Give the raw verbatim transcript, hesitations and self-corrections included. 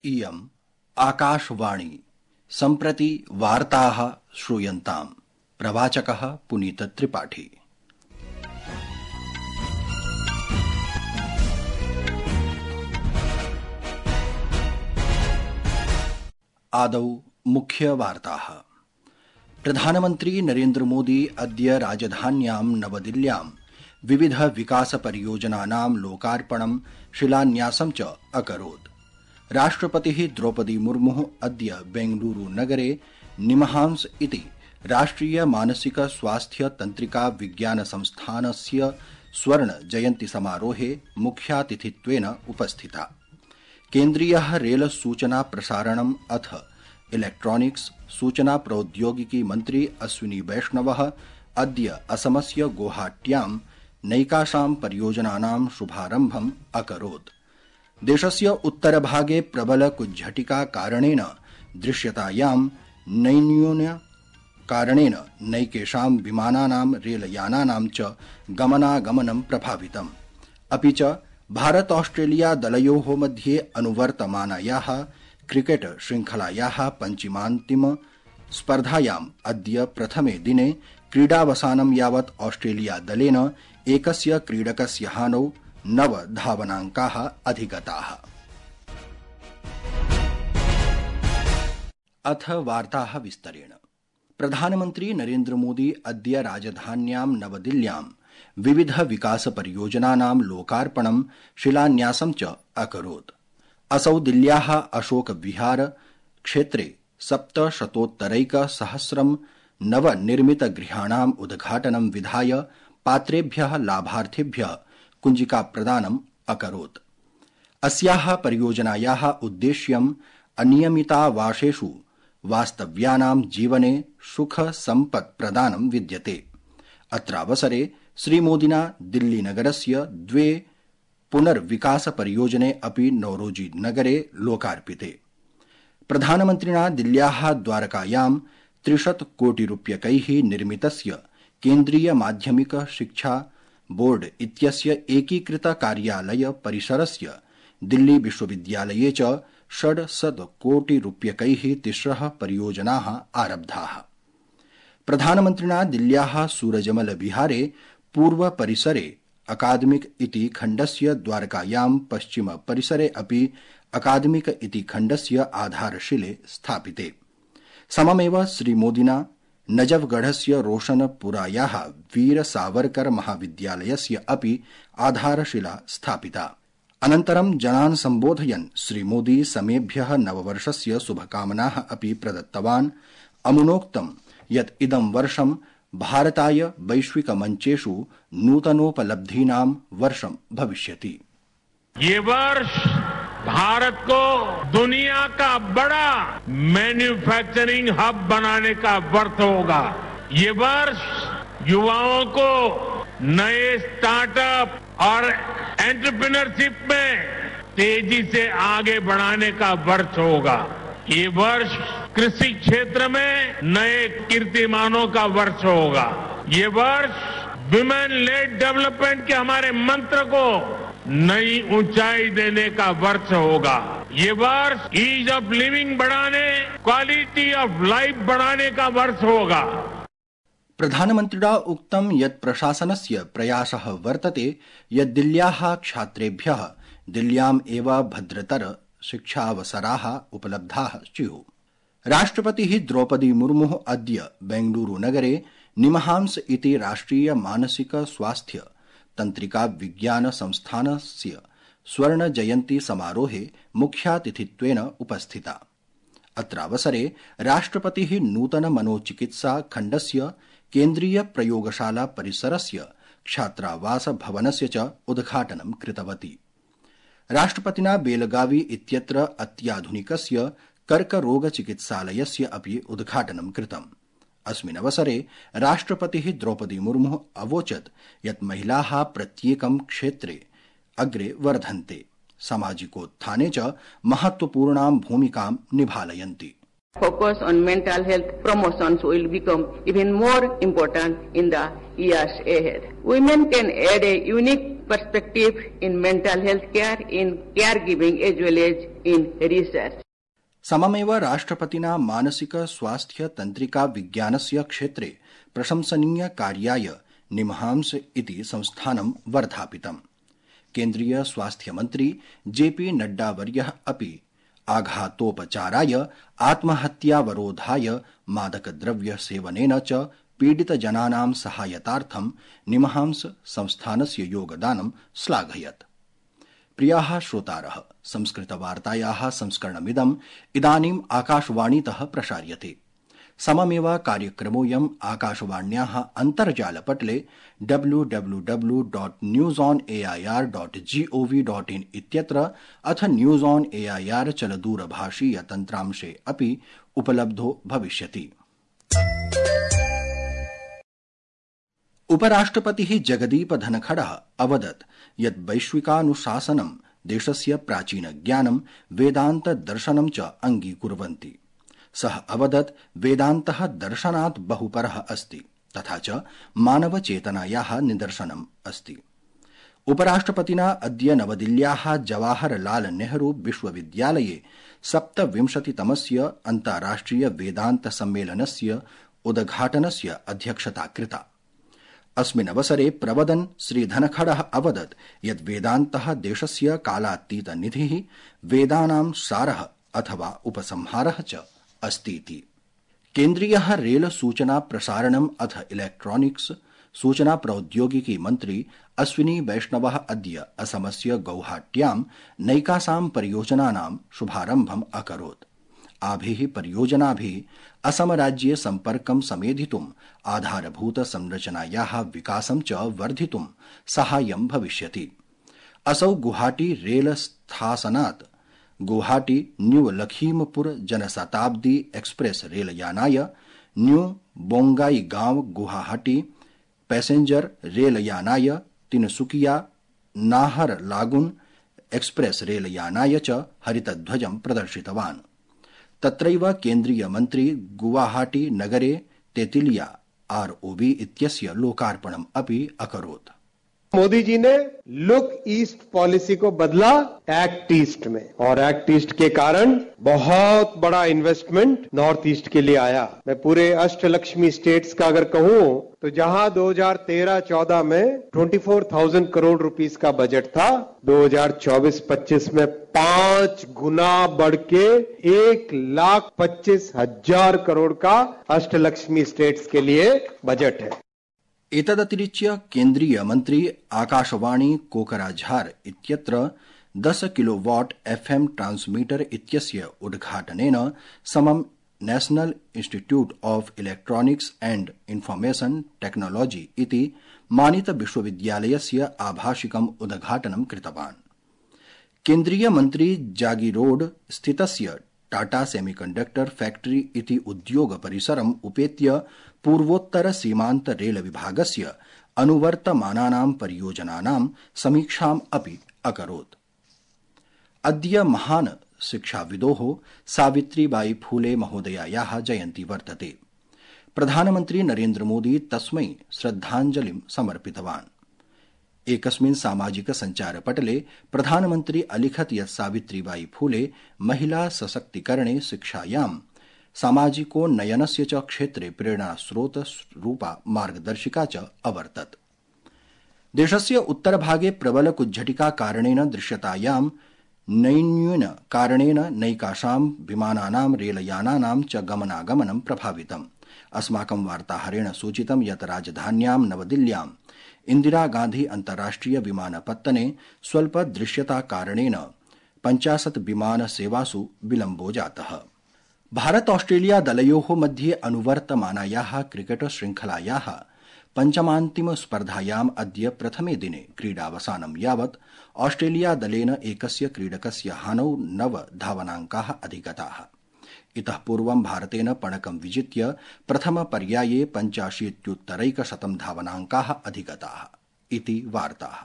इयम् आकाशवाणी सम्प्रति वार्ताः श्रूयन्ताम्। प्रवाचकः पुनीत त्रिपाठी। आदौ मुख्य वार्ताः। प्रधानमन्त्री नरेन्द्र मोदी अद्य राजधान्यां नवदिल्ल्यां विविध विकास परियोजनानां लोकार्पणं शिलान्यासं च अकरोत्। राष्ट्रपतिः द्रौपदी मुर्मुः अद्य बेंगलुरू नगरे निमहांस इति राष्ट्रिय मानसिक स्वास्थ्य तंत्रिका विज्ञान संस्थानस्य स्वर्ण जयन्ती समारोहे मुख्यातिथित्वेन उपस्थिता। केन्द्रीयः रेल सूचना प्रसारणम् अथ इलेक्ट्रॉनिक्स सूचना प्रौद्योगिकी मन्त्री अश्विनी वैष्णवः अद्य असमस्य गुवाहाट्यां नैकासां परियोजनानां शुभारम्भम् अकरोत्। देशस्य उत्तरभागे प्रबल कुज्झटिका कारणेन दृश्यतायां नैन्यून्य कारणेन नैकेषां विमानानां रेलयानानां च गमनागमनं प्रभावितम्। अपि च भारत ऑस्ट्रेलिया दलयोः मध्ये अनुवर्तमानायाः क्रिकेट श्रृंखलायाः पञ्चमान्तिम स्पर्धायाम् अद्य प्रथमे दिने क्रीडावसानं यावत् ऑस्ट्रेलिया दलेन एकस्य क्रीडकस्य हानौ नव धावनाङ्काः अधिगताः। अथ वार्ताः विस्तरेण। प्रधानमन्त्री नरेन्द्र मोदी अद्य राजधान्यां नवदिल्ल्यां विविध विकास परियोजनानां लोकार्पणं शिलान्यासं च अकरोत्। असौ दिल्ल्याः अशोक विहार क्षेत्रे सप्तशतोत्तरैक सहस्रं नवनिर्मित गृहाणाम् उद्घाटनं विधाय पात्रेभ्यः लाभार्थिभ्यः कुञ्जिका प्रदानम् अकरोत्। अस्याः परियोजनायाः उद्देश्यम् अनियमितावासेषु वास्तव्यानां जीवने सुख सम्पत् प्रदानं विद्यते। अत्रावसरे श्रीमोदिना दिल्लीनगरस्य द्वे पुनर्विकास परियोजने अपि नौरोजी नगरे लोकार्पिते। प्रधानमन्त्रिणा दिल्ल्याः द्वारकायां त्रिशत कोटिरूप्यकैः निर्मितस्य केन्द्रीय माध्यमिक शिक्षा बोर्ड इत्यस्य एकीकृत कार्यालय परिसरस्य दिल्ली विश्वविद्यालये च षड्शत कोटिरूप्यकैः तिस्रः परियोजनाः आरब्धाः। प्रधानमन्त्रिणा दिल्ल्याः सूरजमल विहारे पूर्व परिसरे अकादमिक इति खण्डस्य द्वारकायां पश्चिम परिसरे अपि अकादमिक इति खण्डस्य आधारशिले स्थापिते। सममेव श्रीमोदिना नजफगढ़स्य रोशनपुरायाः वीर सावरकर महाविद्यालयस्य अपि आधारशिला स्थापिता। अनन्तरं जनान् सम्बोधयन् श्रीमोदी समेभ्यः नववर्षस्य शुभकामनाः अपि प्रदत्तवान्। अमुनोक्तं यत् इदं वर्षं भारताय वैश्विक मञ्चेषु नूतनोपलब्धीनां वर्षं भविष्यति। ये वर्ष भारत को दुनिया का बड़ा मैन्युफैक्चरिंग हब बनाने का वर्ष होगा। ये वर्ष युवाओं को नए स्टार्टअप और एंटरप्रेन्योरशिप में तेजी से आगे बढ़ाने का वर्ष होगा। ये वर्ष कृषि क्षेत्र में नए कीर्तिमानों का वर्ष होगा। ये वर्ष विमेन लेड डेवलपमेंट के हमारे मंत्र को नई ऊंचाई देने का वर्ष होगा। ये वर्ष ईज ऑफ लिविंग बढ़ाने, क्वालिटी ऑफ लाइफ बढ़ाने का वर्ष होगा। प्रधानमन्त्रिणा उक्तं यत् प्रशासनस्य प्रयासः वर्तते यत् दिल्ल्याः छात्रेभ्यः दिल्ल्याम् एव भद्रतर शिक्षावसराः उपलब्धाः स्युः। राष्ट्रपतिः द्रौपदी मुर्मुः अद्य बेंगलुरू नगरे निमहांस इति राष्ट्रिय मानसिक स्वास्थ्य तंत्रिका विज्ञान संस्थानस्य स्वर्ण जयन्ती समारोहे मुख्यातिथित्वेन उपस्थिता। अत्रावसरे राष्ट्रपतिः नूतन मनोचिकित्सा खण्डस्य केन्द्रीय प्रयोगशाला परिसरस्य छात्रावास भवनस्य च उद्घाटनं कृतवती। राष्ट्रपतिना बेलगावी इत्यत्र अत्याधुनिकस्य कर्करोग चिकित्सालयस्य अपि उद्घाटनं कृतम्। अस्मिन् अवसरे राष्ट्रपतिः द्रौपदी मुर्मुः अवोचत् यत् महिलाः प्रत्येकं क्षेत्रे अग्रे वर्धन्ते, सामाजिकोत्थाने च महत्वपूर्णां भूमिकां निभालयन्ति। Focus on mental health promotions will become even more important in the years ahead. Women can add a unique perspective in mental health care, in caregiving as well as in research. सममेव राष्ट्रपतिना मानसिक स्वास्थ्य तंत्रिका विज्ञानस्य क्षेत्रे प्रशंसनीय कार्याय निमहांस इति संस्थानं वर्धापितम्। केन्द्रीय स्वास्थ्य मंत्री जेपी नड्डावर्यः अपि आघातोपचाराय आत्महत्यावरोधाय मादकद्रव्य सेवनेन च पीडितजनानां सहायतार्थं निमहांस संस्थानस्य योगदानं श्लाघयत्। प्रियाः श्रोतारः, संस्कृतवार्तायाः संस्करणमिदम् इदानीम् आकाशवाणीतः प्रसार्यते। सममेव कार्यक्रमोऽयम् आकाशवाण्याः अन्तर्जालपटले W W W dot news on A I R dot GOV dot in इत्यत्र अथ news on A I R चलदूरभाषीय तन्त्रांशे अपि उपलब्धो भविष्यति। उपराष्ट्रपतिः जगदीप धनखडः अवदत् यत् वैश्विकानुशासनं देशस्य प्राचीनज्ञानं वेदान्त दर्शनं च अङ्गीकुर्वन्ति। सः अवदत् वेदान्तः दर्शनात् बहुपरः अस्ति तथा च मानवचेतनायाः निदर्शनम् अस्ति। उपराष्ट्रपतिना अद्य नवदिल्ल्याः जवाहरलाल नेहरू विश्वविद्यालये सप्तविंशतितमस्य अन्ताराष्ट्रिय वेदान्त सम्मेलनस्य उद्घाटनस्य अध्यक्षता कृता। अस्मिन् अवसरे प्रवदन् श्रीधनखडः अवदत् यत् वेदान्तः देशस्य कालातीतनिधिः, वेदानां सारः अथवा उपसंहारः च अस्तीति। केन्द्रीयः रेल सूचना प्रसारणम् अथ इलेक्ट्रॉनिक्स सूचना प्रौद्योगिकी मन्त्री अश्विनी वैष्णवः अद्य असमस्य गौहाट्यां नैकासां परियोजनानां शुभारम्भम् अकरोत्। आभिः परियोजनाभिः असमराज्ये सम्पर्कं समेधितुम् आधारभूत संरचनायाः विकासं च वर्धितुं साहाय्यं भविष्यति। असौ गुवाहाटी रेल स्थासनात् गुवाहाटी न्यू लखीमपुर जनशताब्दी एक्सप्रेस रेलयानाय, न्यू बोंगाईगांव गुवाहाटी पैसेंजर रेलयानाय, तिनसुकिया नाहरलागुन एक्सप्रेस रेलयानाय च हरितध्वजं प्रदर्शितवान्। तत्रैव केन्द्रीय मन्त्री गुवाहाटी नगरे तेतिलिया आरओबी इत्यस्य लोकार्पणम् अपि अकरोत्। मोदी जी ने लुक ईस्ट पॉलिसी को बदला एक्ट ईस्ट में, और एक्ट ईस्ट के कारण बहुत बड़ा इन्वेस्टमेंट नॉर्थ ईस्ट के लिए आया। मैं पूरे अष्टलक्ष्मी स्टेट्स का अगर कहूं तो जहां दो हज़ार तेरह चौदह में चौबीस हज़ार करोड़ रुपीस का बजट था, दो हज़ार चौबीस पच्चीस में पांच गुना बढ़ के एक लाख पच्चीस हजार करोड़ का अष्टलक्ष्मी स्टेट्स के लिए बजट है। एतदतिरिच्य केन्द्रीय मन्त्री आकाशवाणी कोकराझार इत्यत्र दस किलोवाट एफएम ट्रांसमीटर इत्यस्य उद्घाटनेन समं national institute of electronics and information technology इति मानित विश्वविद्यालयस्य आभाषिकम् उद्घाटनं कृतवान्। केन्द्रीय मन्त्री जागीरोड स्थितस्य टाटा सेमीकंडक्टर फैक्ट्री इति उद्योग परिसरम् उपेत्य पूर्वोत्तर सीमान्त रेल विभागस्य अनुवर्तमानानां परियोजनानां समीक्षाम् अपि अकरोत्। अद्य महान् शिक्षाविदोः सावित्रीबाई फूले महोदयायाः जयन्ती वर्तते। प्रधानमन्त्री नरेन्द्र मोदी तस्मै श्रद्धाञ्जलिं समर्पितवान्। एकस्मिन् सामाजिक सञ्चारपटले प्रधानमन्त्री अलिखत् यत् सावित्रीबाई फूले महिला सशक्तिकरणे, शिक्षायां, सामाजिकोन्नयनस्य च क्षेत्रे प्रेरणास्रोतरूपा मार्गदर्शिका च अवर्तत। देशस्य उत्तरभागे प्रबल कुज्झटिका कारणेन दृश्यतायां नैन्यून कारणेन नैकासां विमानानां रेलयानानां च गमनागमनं प्रभावितम्। अस्माकं वार्ताहरेण सूचितं यत् राजधान्यां नवदिल्ल्यां इंदिरा गांधी अन्ताराष्ट्रिय विमानपत्तने स्वल्प दृश्यता कारणेन पञ्चाशत् विमान सेवासु विलम्बो जातः। भारत ऑस्ट्रेलिया दलयोः मध्ये अनुवर्तमानायाः क्रिकेट श्रृंखलायाः पञ्चमान्तिम स्पर्धायाम् अद्य प्रथमे दिने क्रीडावसानं यावत् ऑस्ट्रेलिया दलेन एकस्य क्रीडकस्य हानौ नव धावनाङ्काः अधिगताः। इतः पूर्वं भारतेन पणकं विजित्य प्रथम पर्याये पञ्चाशीत्युत्तरैकशतं धावनाङ्काः अधिगताः इति वार्ताः।